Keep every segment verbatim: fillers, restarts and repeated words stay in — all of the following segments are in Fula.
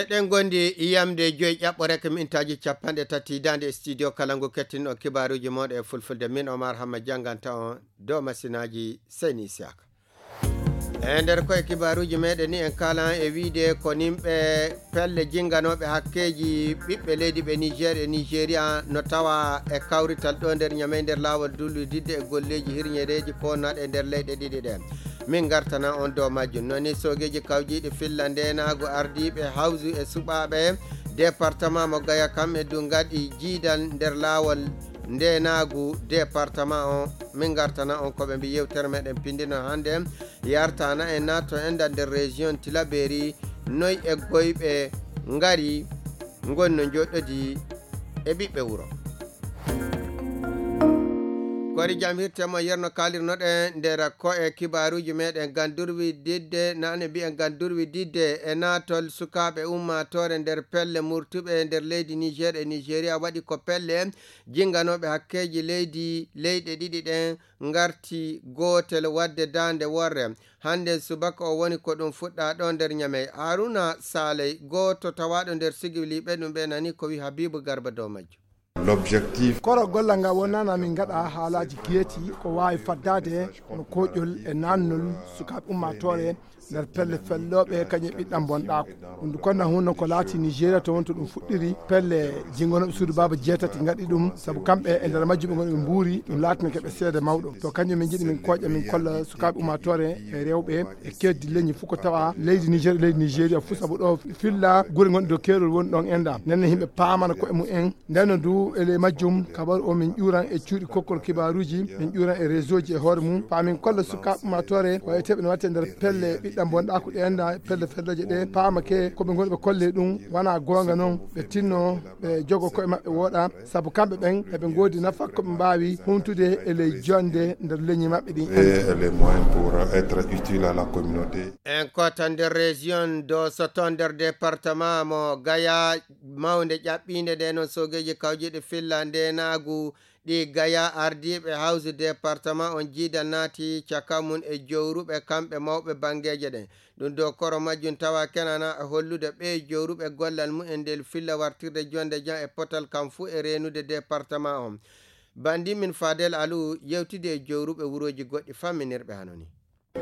Eɗen gondi yamde joyi ƴaɓɓo rek mintaaji capanɗe tati daande e studio kala ngu kettinɗo kibaaruuji mooɗo e fulfulde. Min Omar Hamma jannganta on dow masinaaji Seyni Isiyaka. E nder koye kibaaruuji meɗen ni en kaalan e wiide ko nimɓe pelle jinnganooɓe hakkeeji ɓiɓɓe leydi ɓe Niger e Nigeria no tawa e kawrital ɗo nder Ñamey nder laawol dullididde e golleeji hirñereeji poonnaɗe e nder leyɗe ɗiɗi ɗen. Min ngartana on dow majjum. Noni soogeeji kawjiiɗi filla ndeenaagu ardiiɓe hawsu e suɓaaɓe departement mo Gaya kamɓe du ngaɗi jiidal nder laawol ndeenaagu departement on. Min ngartana on ko ɓe mbi yewtere meɗen pindino hannde. Yartana en nato en da nder région Tilaberi noy eggoyɓe ngari ngonno joɗɗodi e ɓiɓɓe wuro. Kori jam hirte mo yerno kalirnoɗen nder ko'e kibaruji meɗen gandurwi didde nane mbiyen gandurwi didde e natol sukaɓe ummatore nder pelle murtuɓe nder leydi Niger e Nigeria waɗi ko pelle jinganoɓe hakkeji leydi leyɗe ɗiɗi ɗen ngarti gootel waɗde daande worre. Hannde subaka o woni ko ɗum fuɗɗa ɗo nder Ñamey. Haruna Saley, gooto tawaaɗo nder sigiliiɓe ɗum ɓe nani ko wi Habibu Garba dow majjum. L'objectif. Koro gollal ngal wonnana min ngaɗa haalaaji geeti ko waawi faddaade no koƴol e naannol sukaaɓe ummaatoore nder pelle fellooɓe kañum e ɓiɗɗam bonɗaako. Ɗum ndu konna hunno ko laati Nigeria to wonto ɗum fuɗɗiri pelle jingonoɓe suudu baaba jeetati ngaɗi ɗum sabu kamɓe e nder majjum ɓe ngoni ɓe mbuuri ɗum laatina keɓe seede mawɗo to kanjum min jiɗi min koƴa min kolla sukaaɓe ummatore e rewɓe e keddi leñi fof ko tawa leydi Niger e leydi Nigeria fof sabu ɗo filla gure gonɗi dow keerol woni ɗon enda nenne yimɓe paamana koye mumen. Ndeno du e ley majjum kabaru o min ƴuuran e cuuɗi kokkol kibaaruuji min ƴuuran e réseau ji e hoore mum faa min kolla sukaaɓe ummaatoore ko eteɓe no watte nder pelle ɓiɗɗam bonɗaaku ɗe enda pelle felleeje ɗe paamake ko ɓe ngoni ɓe kolle ɗum wona goonga noon ɓe tinno ɓe jogo koye maɓɓe wooɗa sabu kamɓe ɓen eɓe ngoodi nafa ko ɓe mbaawi humtude e ley jonde nder leñi maɓɓe ɗin. Et les moyens pour être utile à la communauté. En kota nder région do soto nder département mo Gaya mawnde ƴaɓɓiinde nde noon soogeeji kawjiiɗe filla ndeenaagu ɗi Gaya ardiiɓe hawsu département on jiidal naati caka mum e jowruɓe kamɓe mawɓe banngeeje ɗen. Ɗum dow koro majjum tawa kenana e hollude ɓee jowruɓe gollal mumen ndel filla wartirde jonde jam e potal kam fuu e reenude département on. Banndi min Fadel Alou yewtidi e jowruɓe wurooji goɗɗi famminirɓe hano ni.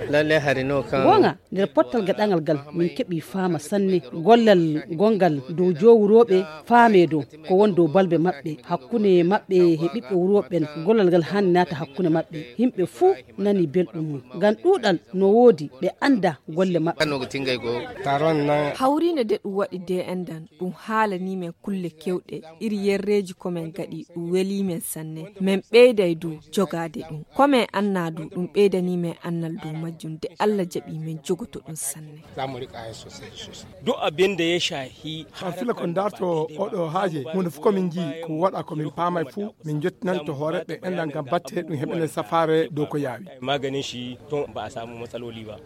Lalle hari no kan. Goonga, nder pottal gaɗangal gal, min keɓi faama sanne. Gollal gongal dow jowrooɓe faame dow, ko won dow balbe maɓɓe, hakkunde maɓɓe he ɓiɓɓe wurooɓe ɓen. Gollal ngal haani naata hakkunde maɓɓe. Yimɓe fuu nani belɗum mum. Ngam ɗuuɗal no woodi, ɓe annda golle maɓɓe. Kan no ko tingay ko. Taron nan. Hawriinde de ɗum waɗi de endan, ɗum haalanii men kulle kewɗe, iri yerreeji ko men gaɗi, ɗum welii men sanne. Men ɓeyday du jogaade ɗum. Ko men annaa du, ɗum ɓeydanii men annal dow majjum, de Alla jaɓii men jogoto ɗum sanne. Za mu riƙa yin sosai da sosai. Duk abin da ya shahi. An fila ko darto oɗo haaje, huunde fof ko min njii, ko waɗa ko min paamay fuu, min njottinan to hoore ɓe enɗan ngam batte ɗum heɓene safaare dow ko yaawi. Maganin shi tun ba a samu matsaloli ba.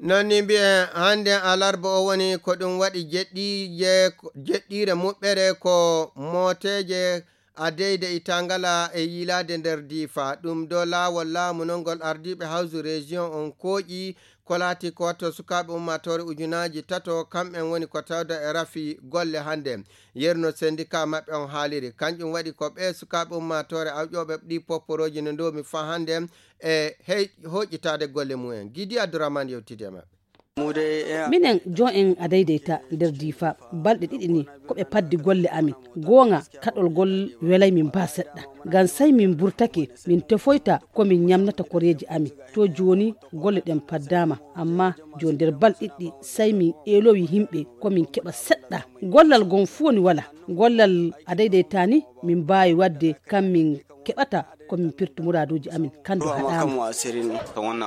Noon ni mbiyen hannde alarba o woni ko ɗum waɗi jeɗɗiije, jeɗɗiire muɓɓere ko mooteeje a deyde e tangala e yiilaade nder diifa. Ɗum do laawol laamu non ngol ardiiɓe hawsu région on kooƴi ko laati ko watto sukaaɓe ummaatoore ujunaaji tato kamɓen woni ko tawda e rafi golle hannde. Yerno syndicat maɓɓe on haaliri. Kanƴum waɗi ko ɓee sukaaɓe ummaatoore awƴooɓe ɗi popporooji no ndoomi faa hannde e hey-, hoƴƴitaade golle mumen. Gidi Abdourahmane yewtidi e maɓɓe. Minen joon en a daydayta nder diifa balɗe ɗiɗi ni ko ɓe paddi golle amin. Goonga kaɗol ngol welay min baa seɗɗa. Ngam say min mburtake, min tefoyta ko min ñamnata koreeji amin. To jooni golle ɗen paddaama, ammaa jooni nder balɗe ɗiɗi say min eelowi yimɓe ko min keɓa seɗɗa. Gollal gon fuu woni wala. Gollal a daydayta ni min mbaawi waɗde kam min keɓata ko min pirti muraaduuji amin. Kan du haɗaama.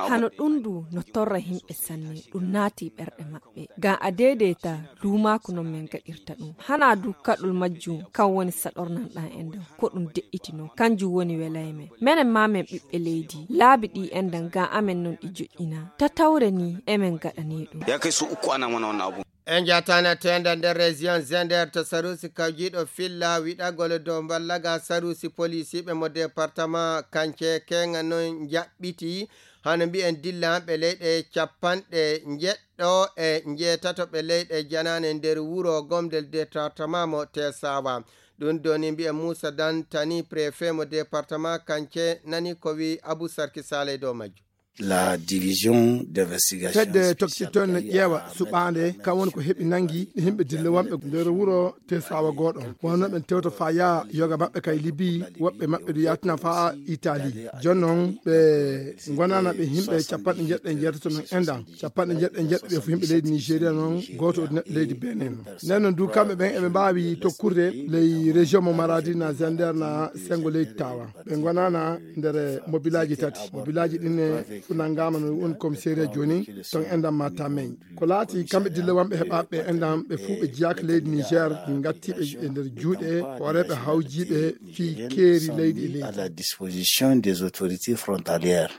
Hano ɗum du no torra yimɓe sanne, ɗum naati ɓerɗe maɓɓe. Ngam a deedeyta duumaaku non men gaɗirta ɗum. Hanaa du kaɗol majjum kan woni saɗornan ɗan en ɗan. Ko ɗum de'itino, kanjum woni welay men. Menen maa men ɓiɓɓe leydi, laabi ɗi en ɗan ngam amen non ɗi joƴƴina. Tatawre ni emen gaɗani ɗum. Ya kai su uku ana mana wannan abu. En jatana tenda nder région Zender to sarusi kawjiɗo filla wiɗagol dow mballaga sarusi polisiɓe mo département kance kenga non jaɓɓiti hano mbiyen dilla ɓe leyɗe capanɗe njeɗɗo e njeetato ɓe leyɗe janaane nder wuro gomdel département mo Tesawa. Ɗum doni mbiyen Moussa Dantani, préfet mo département Kance, nani ko wi Abou Sarki Saleh dow majjum. La division d'investigation fedde spéciale toktiton ne ƴeewa suɓaande kam woni ko heɓi nangi yimɓe dille wonɓe nder wuro Tesawa gooɗo. Wonno ɓen tewto fa yaa yoga maɓɓe kay Libi, woɓɓe maɓɓe du yaatina fa Itali. Jooni noon ɓe ngonana ɓe yimɓe capanɗe njeɗɗe njeetato noon endan. Capanɗe njeɗɗe njeɗɗo ɓe fof yimɓe leydi Nigeria noon, gooto o neɗɗo leydi Benin. Nden noon du kamɓe ɓen eɓe mbaawi tokkude ley région mo Maradi na Zender na Sengo leydi Tawa. Ɓe ngonana nder mobilaaji tati. Mobilaaji ɗin e fof nanngaama no woni commissariat jooni, ton endan ma Tamey. Ko laati kamɓe dille wonɓe heɓaaɓe endan ɓe fof ɓe jiyaaka leydi Niger, ngatti ɓe e nder juuɗe hooreeɓe hawjiiɓe fii keeri leydi e leydi. À la disposition des autorités frontalières.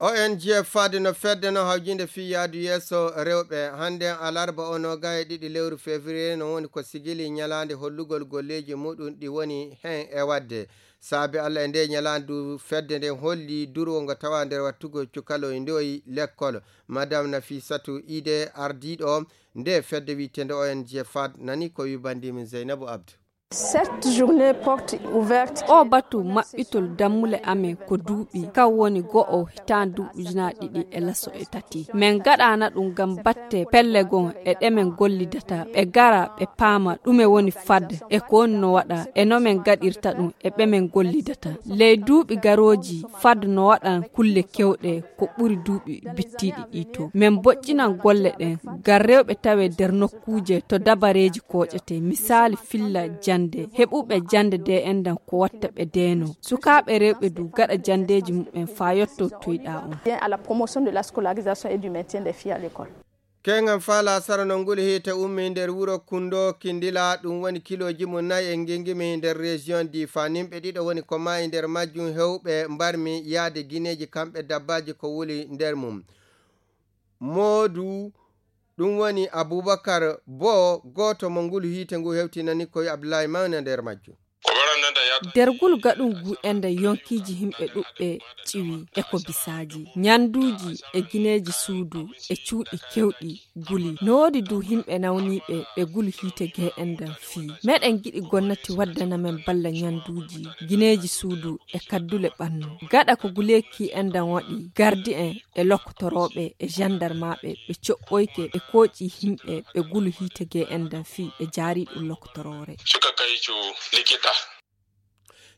O N G Fad no fedde no hawjinde fii yaadu yeeso rewɓe. Hannde alarba o noga e ɗiɗi lewru février no woni ko sigili ñalaande hollugol golleeji muɗum ɗi woni heen e waɗde. Saabi Allah e nde ñalaande du fedde nden holli durwo ngo tawa nder wattugol cukaloy ndoyi lekkol. Madame Nafisatu Ide ardiiɗo nde fedde wiyeteende O N G Fad nani ko wi bandimin Zeynabu Abdu. Cette journée porte ouverte. O batu maɓɓitol dammule amen ko duuɓi, kan woni go'o hitaande duuɓi ujunaaji ɗiɗi e laso e tati. Min ngaɗaana ɗum ngam batte pelle goo e ɗe min gollidata, ɓe ngara ɓe paama ɗume woni Fad e ko woni no waɗa e no min ngaɗirta ɗum e ɓe min gollidata. Ley duuɓi garooji Fad no waɗan kulle kewɗe ko ɓuri duuɓi bittiiɗi ɗi to. Min mboƴƴinan golle ɗen ngam rewɓe tawe nder nokkuuje to dabareeji kooƴete, misaali filla jannde. Heɓuɓe jannde de endan ko watta ɓe deeno. Sukaaɓe rewɓe du gaɗa janndeeji muɓɓen faa yotto toyɗaa on. Bien à la promotion de la scolarisation et du maintien des filles à l'école. Keŋŋam faa laasara no nguli hiite ummii nder wuro Kundo Kindila, ɗum woni kilooji mum nayi e ngingimi nder région Difa. Nimɓe ɗiɗo woni ko maayi nder majjum, hewɓe mbarmi yaade gineeji kamɓe dabbaaji ko wuli nder mum. Moodu, ɗum woni Abubakar Bo, gooto mo ngulu hiite ngu hewtinani ko Abdullahi Mawna nder majjum. Dergul gaɗungu enda yonkiiji himɓe ɗuɓɓe ƴiwi e ko bisaaji, ñanduuji e gineeji suudu e cuuɗi kewɗi guli. No woodi du himɓe nawniiɓe ɓe gulu hiite gee endan fii. Meɗen giɗi gonnati waddana men balla ñanduuji, gineeji suudu e kaddule ɓannu. Gaɗa ko guleeki endan waɗi, gardi en e lokkotorooɓe e jandarmaaɓe ɓe coɓɓoyke ɓe kooƴi himɓe ɓe gulu hiite gee endan fii ɓe jaari ɗum lokkotoroore. Suka kaycu likita.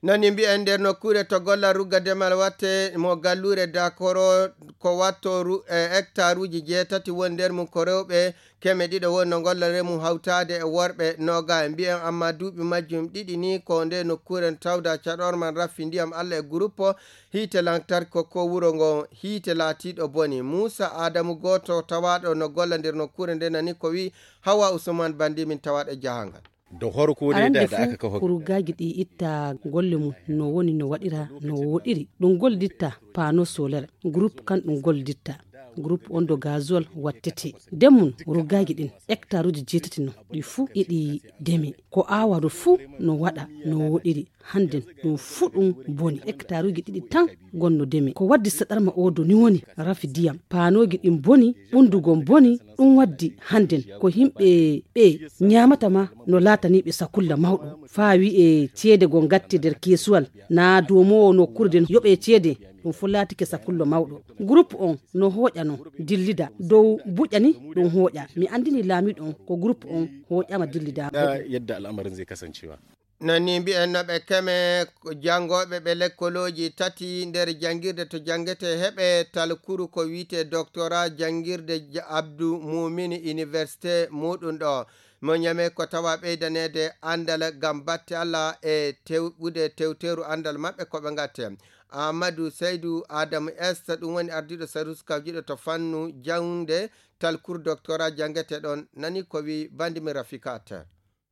Nani mbiyen nder nokkuure to golla rugga demal watte mo galluure Dakoro ko watto ru-, e hectaruuji jeetati woni nder mum ko rewɓe keme ɗiɗo woni no golla remu hawtaade e worɓe noga e mbiyen amma duuɓi majjum ɗiɗi ni ko nde nokkuure no tawda caɗorman raffi ndiyam Allah e guruppo hiite lantarki ko ko wuro ngo hiite laatiiɗo boni. Muusa Aadamu gooto tawaaɗo no golla nder nokkuure nde nani ko wi Hawa Usman Bandi min tawaaɗo jahangal. Da farko dai da da aka kafa. Ruggaaji ɗi itta golle mum no woni no waɗira no woɗiri. Ɗum gollitta paano solar. Groupe kan ɗum gollitta. Groupe on do gasoil wattete. Nden mum ruggaaji ɗin hectaruuji jeetati no ɗi fuu iɗi deme. Ko aawado fuu no waɗa no woɗiri. Hannden ɗum fuu ɗum boni. Hectaruuji ɗiɗi tan gonno deme. Ko waddi saɗarma oo do ni woni rafi diyam. Paanooji ɗin boni, ɓunndu gon boni, ɗum waddi hannden ko yimɓe ɓe ñaamata ma no laatanii ɓe sakulla mawɗo. Faa wi'ee ceede gon gatte nder keesuwal, naa doomoowo nokkuure nden yoɓee ceede, ɗum fuu laatike sakullo mawɗo. Groupe on no hooƴa no dillida dow buƴa ni ɗum hooƴa. Mi anndinii laamiiɗo on ko groupe on hooƴaama dillidaama. Yadda al'amarin zai kasancewa. Nani mbiyen no ɓe keme janngooɓe ɓe lekkolooji tati nder janngirde to janngete heɓe talkuru ko wiyetee doctorat janngirde Ja-, Abdou Moumini Université muɗum ɗo. Mo ñame ko tawa ɓeydaneede anndal ngam batte Allah e tewɓude tewteeru anndal maɓɓe ko ɓe ngatte. Amadou Seydou Adam Est, ɗum woni ardiiɗo service kawjiɗo to fannu jaŋde talkuru doctorat janngete ɗon, nani ko wi bandi mi Rafika Atta.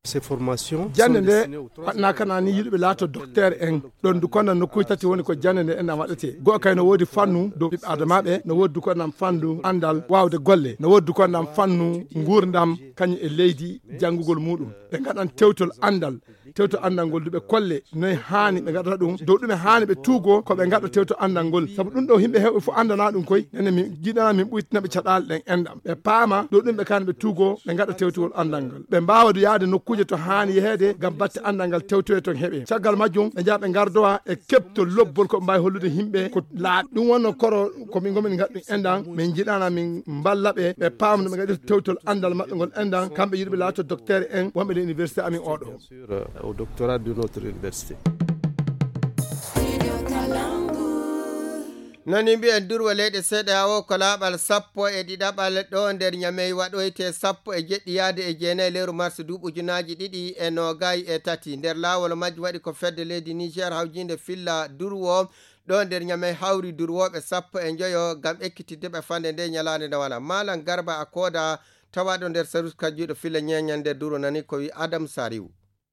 Jannde nde waɗnaa kana ni yiɗuɓe laato docteur en. Ɗon du konnan nokkuuji tati woni ko jannde nde enɗan waɗetee. Go'o kay no woodi fannu dow ɓiɓɓe adamaaɓe, no woodi du konnan fannu anndal waawde golle, no woodi du konnan fannu nguurndam kañum e leydi janngugol muuɗum. Ɓe ngaɗan tewtol anndal, tewtol anndal ngol du ɓe kolle noye haani ɓe ngaɗata ɗum, dow ɗume haani ɓe tuugoo ko ɓe ngaɗa tewtol anndal ngol. Sabu ɗum ɗo yimɓe heewɓe fof anndanaa ɗum koy, nene min njiɗanaa min ɓuytina ɓe caɗaale ɗen enɗan. Ɓe paama dow ɗum ɓe kaani ɓe tuugoo ɓe ngaɗa tewtol anndal ngal. Ɓe mbaawa du yahde nokkuuje to haani yeheede ngam batte anndal ngal tewtoye toon heɓee. Caggal majjum ɓe njaha ɓe ngardowa e keɓtol lobbol ko ɓe mbaawi hollude yimɓe ko laaɓi. Ɗum wonno koro ko min ngomin ngaɗ ɗum enɗan. Min njiɗana min mballa ɓe, ɓe paama no ɓe ngaɗirta tewtol anndal maɓɓe ngol enɗan. Kamɓe yiɗuɓe laato docteur en wonɓe nder université amin oɗo. Sur, euh, au doctorat de notre université. Nani mbiyen durwa leyɗe seeɗa o ko laaɓal sappo e ɗiɗaɓal ɗo nder Ñamey waɗoyte sappo e jeɗɗi yaade e jeenayi lewru mars duuɓi ujunaaji ɗiɗi e noogay e tati. Nder laawol majji waɗi ko fedde leydi Niger hawjinde filla durwo ɗo nder Ñamey hawri durwooɓe sappo e njoyo ngam ekkitidde ɓe fande nde ñalaande nde wala. Malam Garba a kooda tawaɗo nder sarus kajjuɗo filla ñeñan nder durwo nani ko wi Adam Sariw.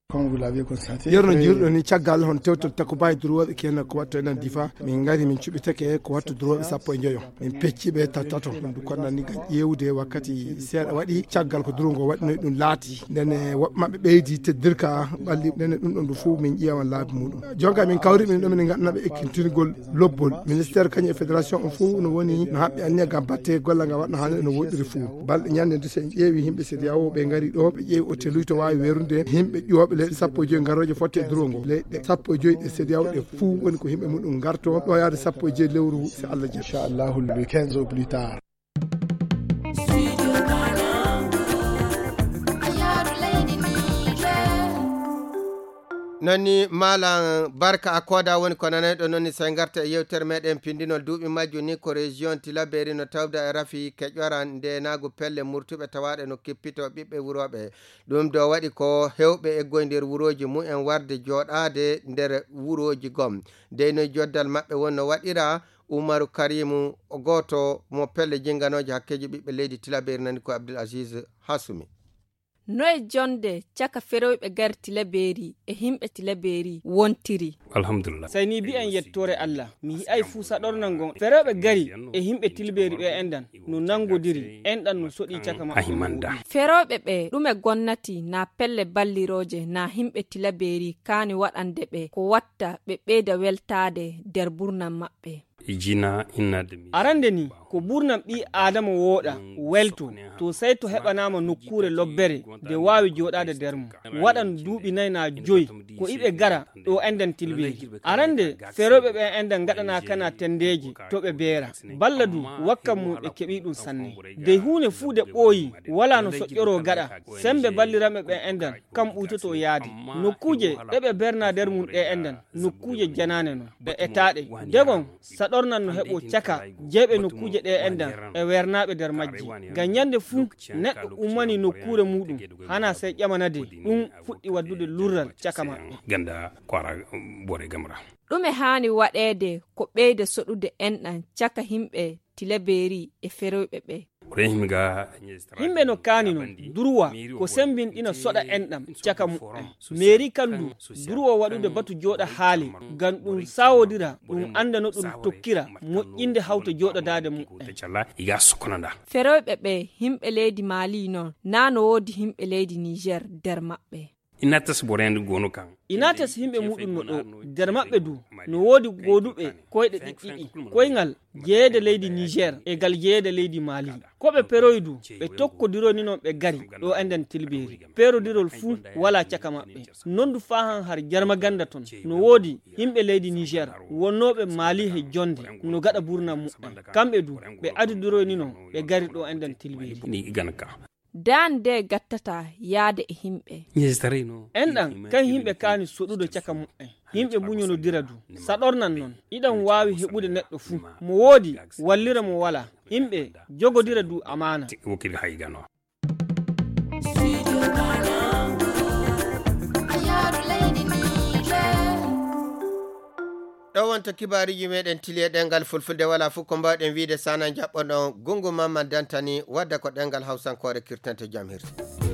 Comme vous l'avez constaté, yerno après jiruɗo ni caggal hon tewtol takubaji durwoɓe kenan ko watto enen difa, min ngari min cuɓitake ko watto durwoɓe sappo e joyo. Min pecci ɓe tattato ɗum du konnan ni ngam ƴeewde wakkati seeɗa waɗi caggal ko durungo waɗinoy ɗum laati. Ndene woɓɓe maɓɓe ɓeydi teddirka ɓalli ndene ɗum ɗon du fof min ƴeewan laabi muɗum. Jonka min kawri min ɗo min ganduɗa ɓe ekkintingol lobbol. Ministère kañum e fédération on fof no woni no haɓɓi anniya ngam batte gollal ngal waɗno hannde no woɗɗiri fof. Balɗe ñande nde so en ƴeewi yimɓe C D A O ɓe ngari ɗo, ɓe ƴeewi oteluji to waawi weerude yimɓe ƴuwooɓe leyɗe sappo e joyi ngarooje fotte e durol ngol. Leyɗe sappo e joyi ɗe C D A O ɗe fof woni ko yimɓe muɗum ngarto ɗo yaade sappo e joyi lewru si Allah jaɓi. Inchallahu le quinze au plus tard. Nonni Malam Barka a kooda woni ko nanayɗo nonni, so en ngarta e yewtere meɗen pindinol duuɓi majjum ni ko région Tilaberi no tawda e rafi keƴoran ndenaagu pelle murtuɓe tawaaɗe no kippito ɓiɓɓe wurooɓe. Ɗum do waɗi ko hewɓe eggoy nder wurooji mumen warde jooɗaade nder wurooji gom. Dey noy joddal maɓɓe wonno waɗira. Umaru Karimu o gooto mo pelle jinganooje hakkeeji ɓiɓɓe leydi Tilaberi nani ko Abdul Aziz Hasumi. Noye jonde caka ferewɓe gari Tilaberi e himɓe Tilaberi wontiri? Alhamdulillah. Sey ni mbi'en yettoore Allah. Mi yi'ay fuu saɗornal ngon ferewɓe gari e himɓe Tilaberi ɓe enɗan no nangodiri, enɗan no soɗi caka maɓɓe. Ferewɓe ɓe ɗume gonnati na pelle ballirooje na himɓe Tilaberi kaani waɗande ɓe ko watta ɓe ɓeyda weltaade nder burnam maɓɓe? Arande ni ko burnam ɓii Aadama wooɗa, welto, to sey to heɓanaama nokkuure lobbere nde waawi jooɗaade nder mum. Waɗan duuɓi nay naa joy ko iɓe gara ɗo enɗan Tilaberi. Arande ferewɓe ɓe enɗan ngaɗanaa kana tenndeeje to ɓe beera. Balla du wakkat mum ɓe keɓii ɗum sanne. Dey huunde fuu nde ɓooyi walaa no soƴƴoroo gaɗa, semmbe balliranɓe ɓe enɗan kam ɓuytotoo yaade. Nokkuuje ɗe ɓe beernaa nder mum ɗe enɗan nokkuuje janaane non, ɓe etaaɗe. Degon saɗornan no heɓoo caka jeyɓe nokkuuje ɗe enɗan e weernaaɓe nder majji. Ngam ñande fuu neɗɗo ummanii nokkuure muuɗum, hanaa sey ƴamanade ɗum fuɗɗi waddude lurral caka maɓɓe. Ɗume haani waɗeede ko ɓeyda soɗude enɗan caka himɓe Tilaberi e ferewɓe ɓe? Yimɓe no kaani non durwa ko semmbinɗina soɗa enɗan caka muɓɓen. Meeri kan du durwa waɗude batu jooɗa haali ngam ɗum saawodira, ɗum annda no ɗum tokkira moƴƴinde hawta jooɗodaade muɓɓen. Ferewɓe ɓe himɓe leydi Maali non, naa no woodi himɓe leydi Niger nder maɓɓe? Inates yimɓe muuɗum no ɗo. Nder maɓɓe du no woodi gooduɓe koyɗe ɗiɗɗiɗi, koyngal jeyeede leydi Niger e ngal jeyeede leydi Maali. Ko ɓe peroyi du ɓe tokkodiroy ni non ɓe gari ɗo enɗan Tilaberi. Perodirol fuu walaa caka maɓɓe. Non du faa han har Jarmaganda ton no woodi yimɓe leydi Niger wonnooɓe Maali he jonnde no gaɗa burnam muɓɓen. Kamɓe du ɓe adodiroy ni non ɓe gari ɗo enɗan Tilaberi. Daan nde gattata yaade e himɓe. Enɗan kan himɓe kaani soɗude caka muɓɓen. Himɓe muñonodira du. Saɗornan non iɗan waawi heɓude neɗɗo fuu, mo woodi wallira mo walaa. Himɓe jogodira du amaana. Ɗo wonta kibaariji meɗen tili e ɗengal fulfulde. Wala fof ko mbawɗen wiide sana jaɓɓoɗon gungu mamma dantani wadda ko ɗengal hawsankoore kirtante jam hirsi.